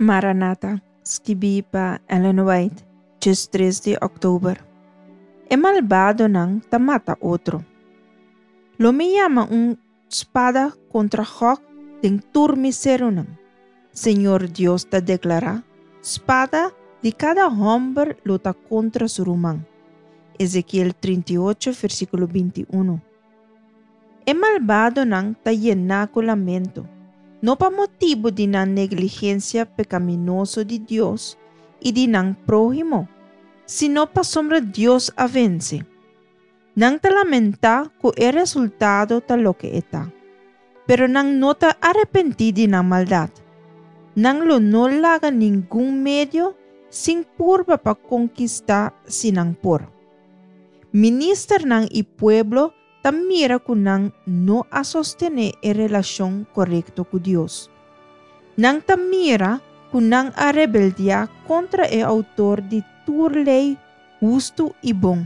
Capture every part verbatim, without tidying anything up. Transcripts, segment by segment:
Maranata, skibí pa Ellen White, diestres di òktober. E malbadonan ta mata otro. Lo mi yama un spada kontra Gog den tur mi serunan. Señor Dios ta deklará, spada di kada hòmber lo ta kontra su ruman. Ezekiel trinta i ocho, versíkulo binti i un. E malbadonan ta yená ku lamento, no pa motibu di nan negligensia pekaminoso di Dios i di nan próhimo, sino pasobra Dios a vense. Nan ta lamentá ku e resultado ta loke e ta, pero nan no ta arepentí di nan maldat. Nan lo no laga ningun medio sin purba pa konkistá si nan por. Ministernan i pueblo ta mira ku nan no a sostené e relashon korekto ku Dios. Nan ta mira ku nan a rebeldiá kontra e outor di tur lei hustu i bon.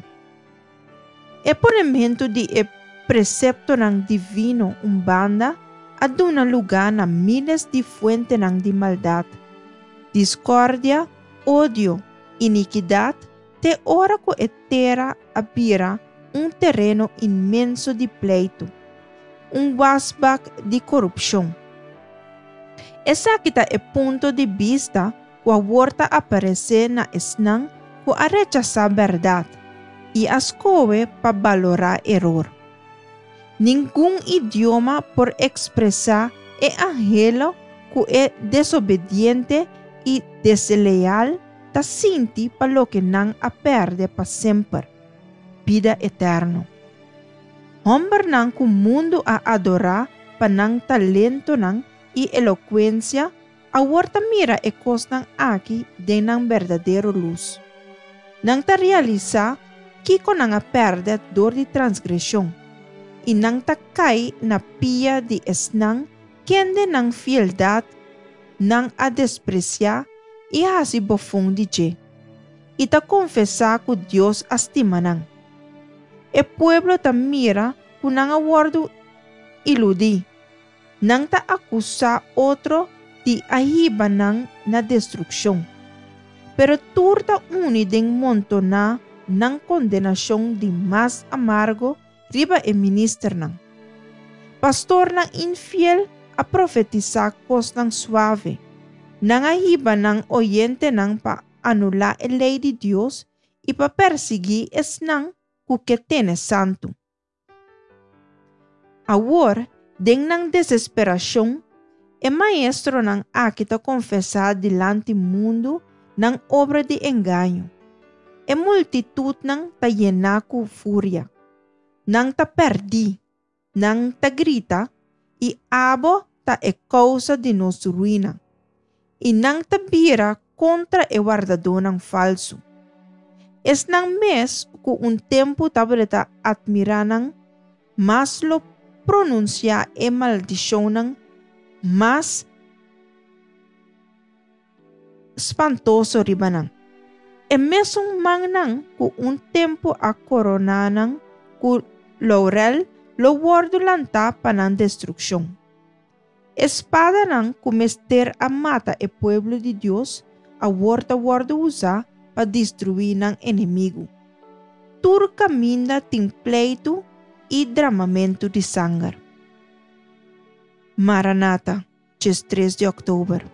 E ponementu di e preseptonan divino un banda a duna lugá na míles di fuentenan di maldat, diskordia, odio, inikidat, te ora ku e tera a bira un tereno inmenso di pleitu, un wasbak di korupshon. Esaki ta e punto di bista ku awor ta aparesé na esnan ku a rechasá bèrdat i a skohe pa balorá eror. Ningun idioma por ekspresá e anhelo ku e desobediente i desleal ta sinti pa loke nan a pèrdè pa semper, bida eterno. Hòmbernan ku mundu a adorá pa nan talentonan i elokuensia awor ta mira e kosnan aki den nan berdadero lus. Nan ta realisá kiko nan a pèrdè dor di transgreshon, i nan ta kai na pia di esnan kende nan fieldat nan a despresiá i hasi bofon di dje, i ta konfesá ku Dios a stima nan. E pueblo ta mira ku nan a wòrdu iludí. Nan ta akusá otro di a hiba nan na destrukshon. Pero tur ta uni den montoná nan kondenashon di mas amargo riba e ministernan. Pastornan infiel a profetisá kosnan suave. Nan a hiba nan oyentenan pa anulá e lei di Dios i pa persiguí esnan ku ke tene santu. Awor, den nan desesperashon, e maestronan aki ta konfesá dilanti mundu nan obra di engaño. E multitutnan ta yená ku furia. Nan ta pèrdí, nan ta grita, i abo ta e kousa di nos ruina. I nan ta bira kontra e wardadónan falsu. Esnan mes ku un tempu tabata atmirá nan, mas lo pronunsiá e maldishonnan mas spantoso riba nan. E mesun mannan ku un tempu a koroná nan ku laurel lo wòrdu lantá pa nan destrukshon. E spadanan ku mester a mata e pueblo di Dios awor ta wòrdu usá pa destruí nan enemigu. Tur kaminda tin pleitu i dramamentu di sanger. Maranata, diestres di òktober.